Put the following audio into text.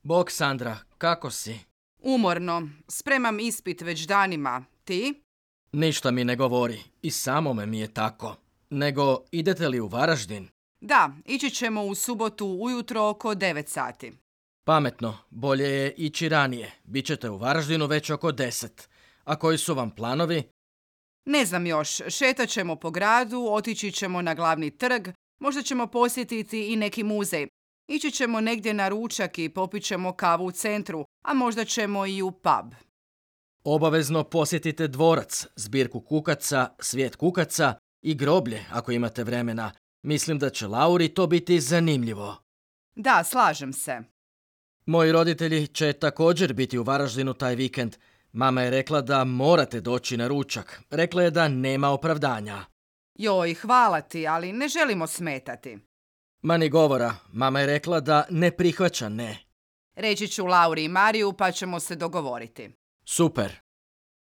Bog, Sandra, kako si? Umorno. Spremam ispit već danima. Ti? Ništa mi ne govori. I samome mi je tako. Nego, idete li u Varaždin? Da, ići ćemo u subotu ujutro oko 9 sati. Pametno, bolje je ići ranije. Bićete u Varaždinu već oko 10. A koji su vam planovi? Ne znam još, šetat ćemo po gradu, otići ćemo na glavni trg, možda ćemo posjetiti i neki muzej. Ići ćemo negdje na ručak i popit ćemo kavu u centru, a možda ćemo i u pub. Obavezno posjetite dvorac, zbirku kukaca, svijet kukaca i groblje ako imate vremena. Mislim da će Lauri to biti zanimljivo. Da, slažem se. Moji roditelji će također biti u Varaždinu taj vikend. Mama je rekla da morate doći na ručak. Rekla je da nema opravdanja. Joj, hvala ti, ali ne želimo smetati. Ma ni govora, mama je rekla da ne prihvaća ne. Reći ću Lauri i Mariju pa ćemo se dogovoriti. Super.